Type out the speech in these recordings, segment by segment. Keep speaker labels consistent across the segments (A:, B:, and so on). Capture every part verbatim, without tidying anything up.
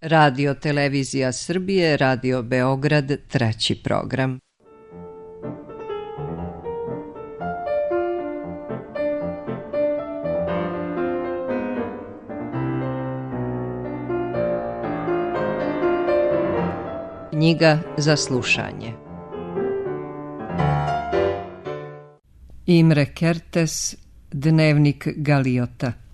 A: Radio Televizija Srbije, Radio Beograd, treći program. Knjiga za slušanje. Imre Kertész, Dnevnik Galiota.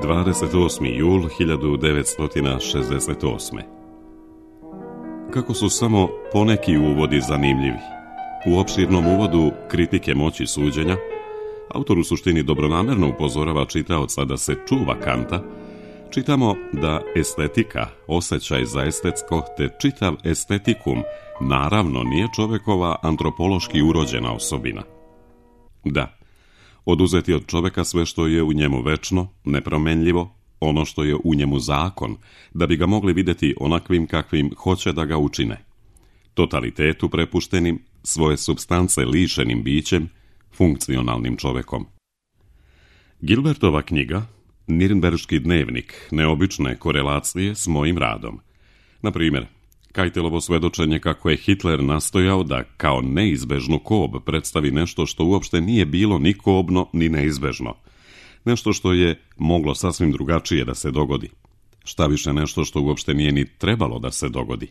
B: dvadeset osmi jul hiljadu devetsto šezdeset osme. Kako su samo poneki uvodi zanimljivi. U opširnom uvodu kritike moći suđenja, autor u suštini dobronamerno upozorava čitaoca da se čuva Kanta, čitamo da estetika, osjećaj za estetsko, te čitav estetikum, naravno nije čovekova antropološki urođena osobina. Da, oduzeti od čoveka sve što je u njemu večno, nepromenljivo, ono što je u njemu zakon, da bi ga mogli vidjeti onakvim kakvim hoće da ga učine. Totalitetu prepuštenim, svoje supstance lišenim bićem, funkcionalnim čovekom. Gilbertova knjiga, Nirnberški dnevnik, neobične korelacije s mojim radom. Na primjer, Kajtelovo svedočenje kako je Hitler nastojao da kao neizbežnu kob predstavi nešto što uopšte nije bilo ni kobno ni neizbežno. Nešto što je moglo sasvim drugačije da se dogodi. Šta više, nešto što uopšte nije ni trebalo da se dogodi.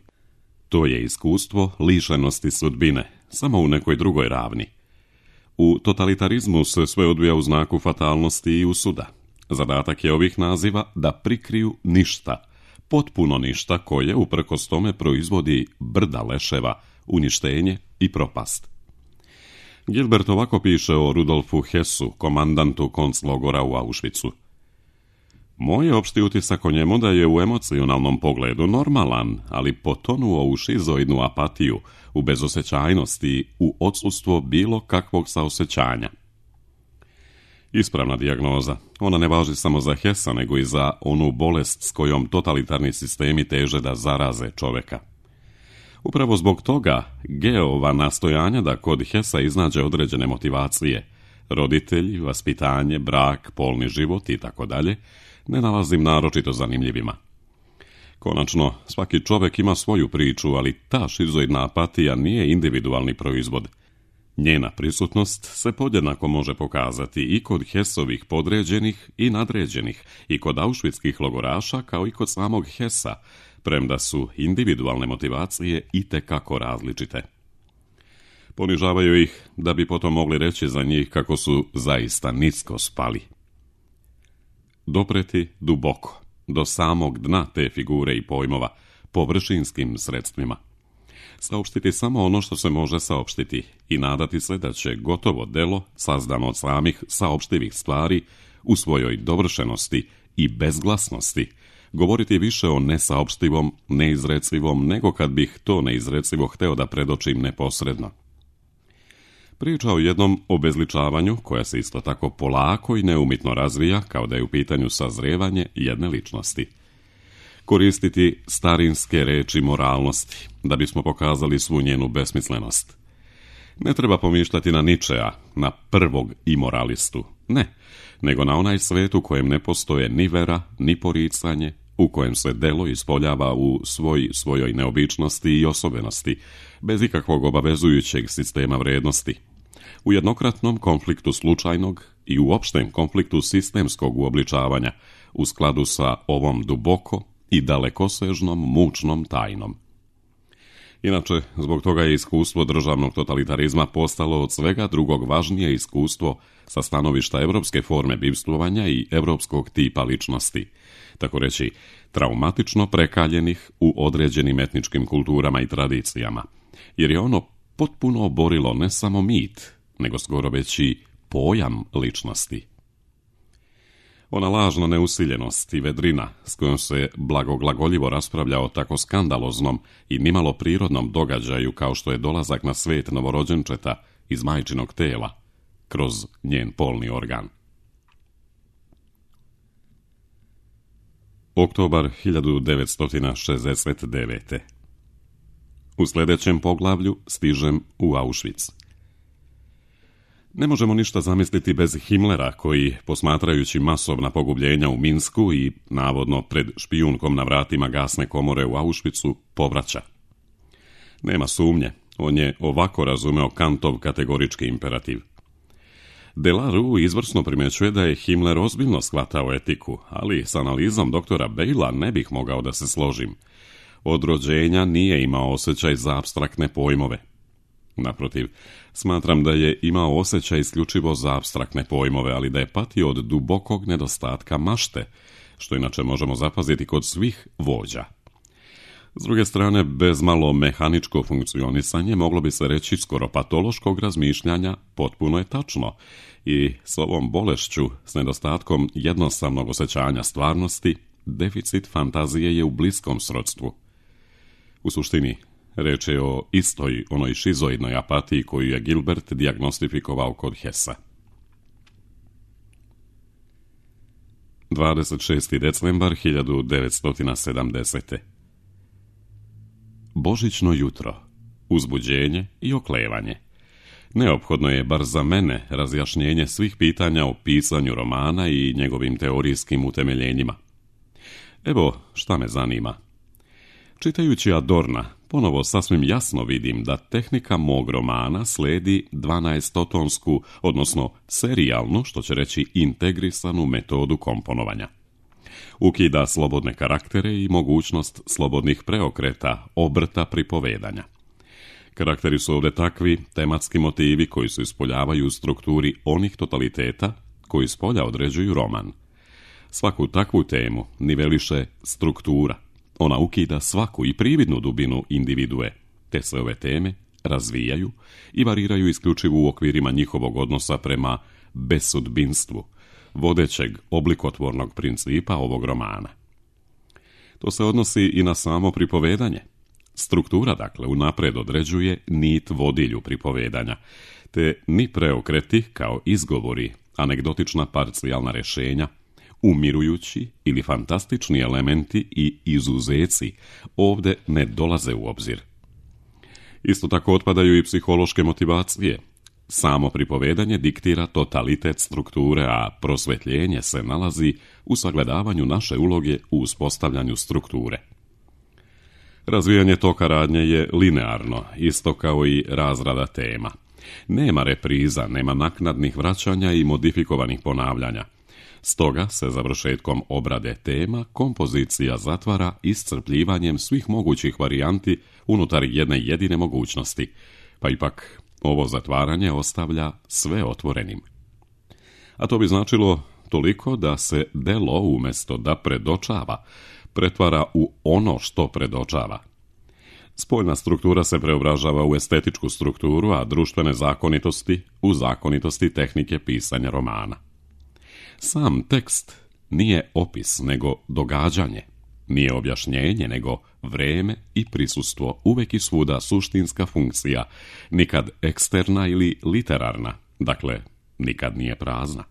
B: To je iskustvo lišenosti sudbine, samo u nekoj drugoj ravni. U totalitarizmu se sve odvija u znaku fatalnosti i usuda. Zadatak je ovih naziva da prikriju ništa, potpuno ništa koje uprkos tome proizvodi brda leševa, uništenje i propast. Gilbert ovako piše o Rudolfu Hessu, komandantu konclogora u Auschwitzu. Moj je opšti utisak o njemu da je u emocionalnom pogledu normalan, ali potonuo u šizoidnu apatiju, u bezosjećajnosti, u odsustvo bilo kakvog saosjećanja. Ispravna dijagnoza. Ona ne važi samo za Hessa, nego i za onu bolest s kojom totalitarni sistemi teže da zaraze čoveka. Upravo zbog toga Geova nastojanja da kod Hessa iznađe određene motivacije, roditelji, vaspitanje, brak, polni život i tako dalje, ne nalazim naročito zanimljivima. Konačno, svaki čovek ima svoju priču, ali ta šizoidna apatija nije individualni proizvod. Njena prisutnost se podjednako može pokazati i kod Hessovih podređenih i nadređenih, i kod aušvitskih logoraša, kao i kod samog Hessa, premda su individualne motivacije itekako različite. Ponižavaju ih da bi potom mogli reći za njih kako su zaista nisko spali. Dopreti duboko, do samog dna te figure i pojmova, površinskim sredstvima. Saopštiti samo ono što se može saopštiti i nadati se da će gotovo delo, sazdano od samih saopštivih stvari, u svojoj dovršenosti i bezglasnosti, govoriti više o nesaopštivom, neizrecivom, nego kad bih to neizrecivo hteo da predočim neposredno. Priča o jednom obezličavanju, koja se isto tako polako i neumitno razvija, kao da je u pitanju sazrevanje jedne ličnosti. Koristiti starinske reči moralnosti, da bismo pokazali svu njenu besmislenost. Ne treba pomišljati na Ničea, na prvog imoralistu, ne, nego na onaj svet u kojem ne postoje ni vera, ni poricanje, u kojem se delo ispoljava u svoj, svojoj neobičnosti i osobenosti, bez ikakvog obavezujućeg sistema vrednosti. U jednokratnom konfliktu slučajnog i u opštem konfliktu sistemskog uobličavanja, u skladu sa ovom duboko i dalekosežnom mučnom tajnom. Inače, zbog toga je iskustvo državnog totalitarizma postalo od svega drugog važnije iskustvo sa stanovišta evropske forme bivstvovanja i evropskog tipa ličnosti, tako reći, traumatično prekaljenih u određenim etničkim kulturama i tradicijama, jer je ono potpuno oborilo ne samo mit, nego skoro već i pojam ličnosti. Ona lažna neusiljenost i vedrina s kojom se blagoglagoljivo raspravlja o tako skandaloznom i nimalo prirodnom događaju kao što je dolazak na svet novorođenčeta iz majčinog tela kroz njen polni organ. Oktobar hiljadu devetsto šezdeset devete. U sljedećem poglavlju stižem u Auschwitz. Ne možemo ništa zamisliti bez Himmlera koji, posmatrajući masovna pogubljenja u Minsku i navodno pred špijunkom na vratima gasne komore u Auschwitzu, povraća. Nema sumnje, on je ovako razumeo Kantov kategorički imperativ. Delarue izvrsno primjećuje da je Himmler ozbiljno shvatao etiku, ali s analizom doktora Bejla ne bih mogao da se složim. Od rođenja nije imao osjećaj za apstraktne pojmove. Naprotiv, smatram da je imao osjećaj isključivo za apstraktne pojmove, ali da je patio od dubokog nedostatka mašte, što inače možemo zapaziti kod svih vođa. S druge strane, bez malo mehaničko funkcionisanje moglo bi se reći skoro patološkog razmišljanja potpuno je tačno i s ovom bolešću, s nedostatkom jednostavnog osjećanja stvarnosti, deficit fantazije je u bliskom srodstvu. U suštini, reč je o istoj onoj šizoidnoj apatiji koju je Gilbert dijagnostifikovao kod Hessa. dvadeset šesti decembar hiljadu devetsto sedamdesete. Božićno jutro, uzbuđenje i oklevanje. Neophodno je, bar za mene, razjašnjenje svih pitanja o pisanju romana i njegovim teorijskim utemeljenjima. Evo šta me zanima. Čitajući Adorna, ponovo sasvim jasno vidim da tehnika mog romana sledi dvanaestotonsku, odnosno serijalnu, što će reći integrisanu metodu komponovanja. Ukida slobodne karaktere i mogućnost slobodnih preokreta, obrta pripovedanja. Karakteri su ovdje takvi tematski motivi koji se ispoljavaju u strukturi onih totaliteta koji spolja određuju roman. Svaku takvu temu niveliše struktura. Ona ukida svaku i prividnu dubinu individue, te se ove teme razvijaju i variraju isključivo u okvirima njihovog odnosa prema besudbinstvu, vodećeg oblikotvornog principa ovog romana. To se odnosi i na samo pripovedanje. Struktura, dakle, unapred određuje nit vodilju pripovedanja, te ni preokreti kao izgovori, anegdotična parcijalna rješenja, umirujući ili fantastični elementi i izuzeci ovdje ne dolaze u obzir. Isto tako otpadaju i psihološke motivacije. Samo pripovedanje diktira totalitet strukture, a prosvjetljenje se nalazi u sagledavanju naše uloge u uspostavljanju strukture. Razvijanje toka radnje je linearno, isto kao i razrada tema. Nema repriza, nema naknadnih vraćanja i modifikovanih ponavljanja. Stoga se završetkom obrade tema kompozicija zatvara iscrpljivanjem svih mogućih varijanti unutar jedne jedine mogućnosti, pa ipak ovo zatvaranje ostavlja sve otvorenim. A to bi značilo toliko da se delo umjesto da predočava, pretvara u ono što predočava. Spoljna struktura se preobražava u estetičku strukturu, a društvene zakonitosti u zakonitosti tehnike pisanja romana. Sam tekst nije opis, nego događanje, nije objašnjenje, nego vreme i prisustvo, uvijek i svuda suštinska funkcija, nikad eksterna ili literarna, dakle, nikad nije prazna.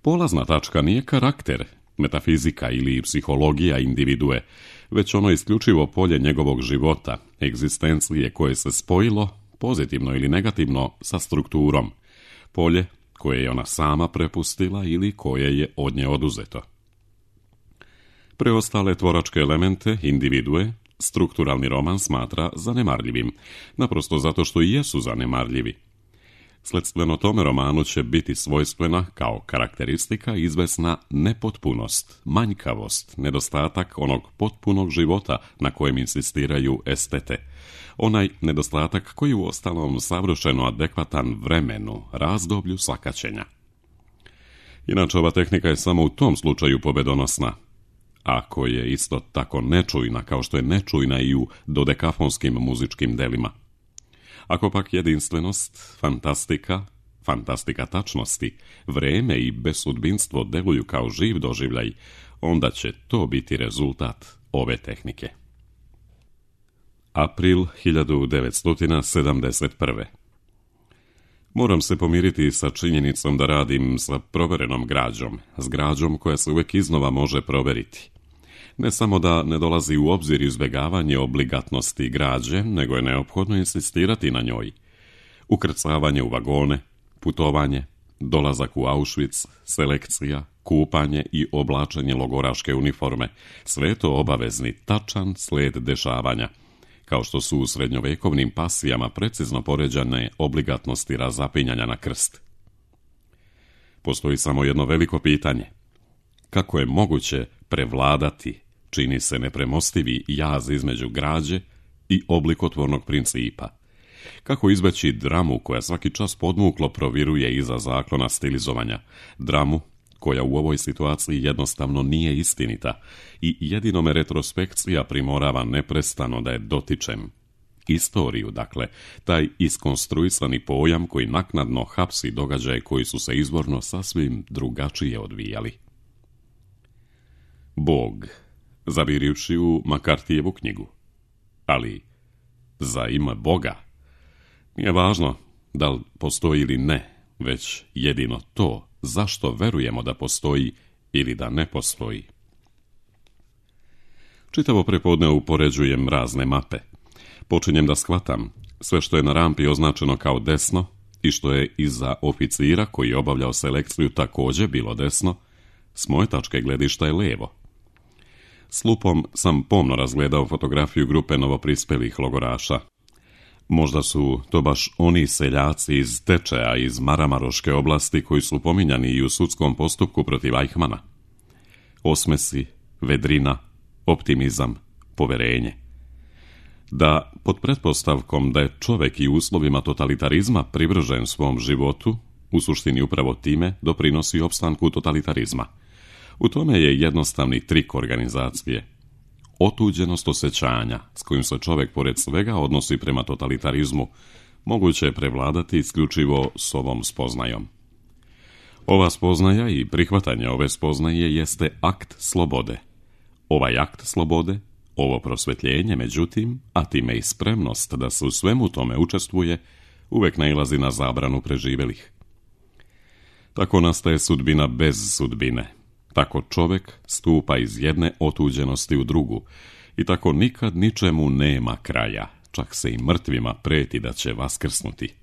B: Polazna tačka nije karakter, metafizika ili psihologija individue, već ono isključivo polje njegovog života, egzistencije koje se spojilo, pozitivno ili negativno, sa strukturom, polje koje je ona sama prepustila ili koje je od nje oduzeto. Preostale tvoračke elemente, individue, strukturalni roman smatra zanemarljivim, naprosto zato što i jesu zanemarljivi. Sledstveno tome romanu će biti svojstvena kao karakteristika izvesna nepotpunost, manjkavost, nedostatak onog potpunog života na kojem insistiraju estete. Onaj nedostatak koji u ostalom savršeno adekvatan vremenu, razdoblju sakaćenja. Inače, ova tehnika je samo u tom slučaju pobedonosna, ako je isto tako nečujna kao što je nečujna i u dodekafonskim muzičkim delima. Ako pak jedinstvenost, fantastika, fantastika tačnosti, vreme i besudbinstvo deluju kao živ doživljaj, onda će to biti rezultat ove tehnike. April hiljadu devetsto sedamdeset prve. Moram se pomiriti sa činjenicom da radim sa proverenom građom, s građom koja se uvijek iznova može proveriti. Ne samo da ne dolazi u obzir izbjegavanje obligatnosti građe, nego je neophodno insistirati na njoj. Ukrcavanje u vagone, putovanje, dolazak u Auschwitz, selekcija, kupanje i oblačenje logoraške uniforme, sve to obavezni tačan slijed dešavanja, kao što su u srednjovekovnim pasijama precizno poređane obligatnosti razapinjanja na krst. Postoji samo jedno veliko pitanje. Kako je moguće prevladati, čini se nepremostivi jaz između građe i oblikotvornog principa? Kako izbeći dramu koja svaki čas podmuklo proviruje iza zaklona stilizovanja, dramu koja u ovoj situaciji jednostavno nije istinita i jedino me retrospekcija primorava neprestano da je dotičem. Istoriju, dakle, taj iskonstruisani pojam koji naknadno hapsi događaje koji su se izvorno sasvim drugačije odvijali. Bog, zavirivši u Makartijevu knjigu. Ali, za ime Boga, nije važno da li postoji ili ne, već jedino to zašto verujemo da postoji ili da ne postoji. Čitavo prepodne upoređujem razne mape. Počinjem da shvatam sve što je na rampi označeno kao desno i što je iza oficira koji je obavljao selekciju također bilo desno, s moje tačke gledišta je lijevo. S lupom sam pomno razgledao fotografiju grupe novoprispelih logoraša. Možda su to baš oni seljaci iz Tečeja iz Maramaroške oblasti koji su pominjani i u sudskom postupku protiv Eichmana. Osmesi, vedrina, optimizam, poverenje. Da, pod pretpostavkom da je čovjek i uslovima totalitarizma privržen svom životu, u suštini upravo time doprinosi opstanku totalitarizma. U tome je jednostavni trik organizacije. Otuđenost osjećanja s kojim se čovjek pored svega odnosi prema totalitarizmu moguće je prevladati isključivo s ovom spoznajom. Ova spoznaja i prihvatanje ove spoznaje jeste akt slobode. Ovaj akt slobode, ovo prosvjetljenje, međutim, a time i spremnost da se u svemu tome učestvuje, uvijek nailazi na zabranu preživjelih. Tako nastaje sudbina bez sudbine. Tako čovjek stupa iz jedne otuđenosti u drugu i tako nikad ničemu nema kraja, čak se i mrtvima preti da će vaskrsnuti.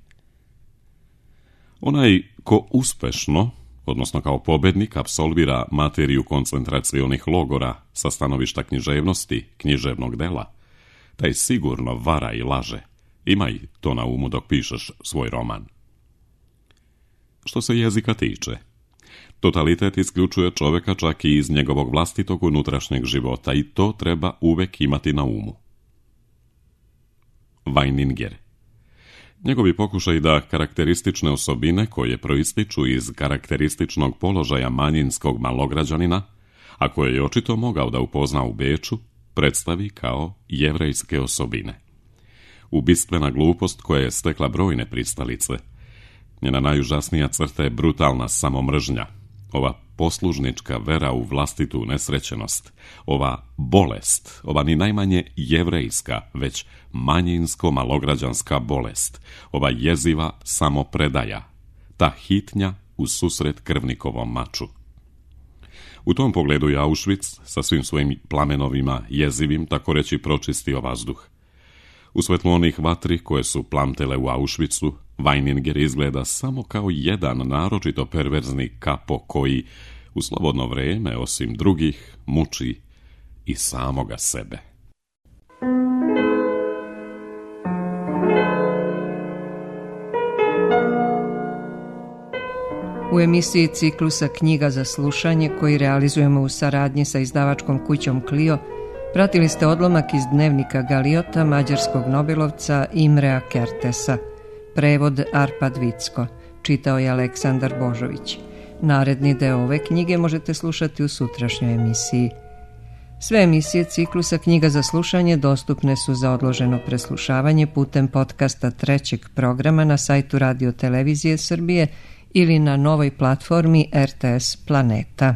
B: Onaj ko uspešno, odnosno kao pobednik, apsolvira materiju koncentracionih logora sa stanovišta književnosti, književnog dela, taj sigurno vara i laže. Imaj to na umu dok pišeš svoj roman. Što se jezika tiče, totalitet isključuje čovjeka čak i iz njegovog vlastitog unutrašnjeg života i to treba uvek imati na umu. Weininger. Njegovi pokušaj da karakteristične osobine koje proističu iz karakterističnog položaja manjinskog malograđanina, a koje je očito mogao da upozna u Beču, predstavi kao jevrejske osobine. Ubistvena glupost koja je stekla brojne pristalice. Njena najužasnija crta je brutalna samomržnja, ova poslužnička vera u vlastitu nesrećenost, ova bolest, ova ni najmanje jevrejska, već manjinsko-malograđanska bolest, ova jeziva samopredaja, ta hitnja u susret krvnikovom maču. U tom pogledu je Auschwitz sa svim svojim plamenovima jezivim tako reći pročistio vazduh. U svetlu onih vatri koje su plamtele u Auschwitzu, Weininger izgleda samo kao jedan naročito perverzni kapo koji u slobodno vrijeme, osim drugih, muči i samoga sebe.
A: U emisiji ciklusa Knjiga za slušanje, koji realizujemo u saradnji sa izdavačkom kućom Clio, pratili ste odlomak iz dnevnika Galiota mađarskog nobelovca Imrea Kertesa. Prevod Arpad Vicko. Čitao je Aleksandar Božović. Naredni deo ove knjige možete slušati u sutrašnjoj emisiji. Sve emisije ciklusa Knjiga za slušanje dostupne su za odloženo preslušavanje putem podcasta trećeg programa na sajtu Radio Televizije Srbije ili na novoj platformi R T S Planeta.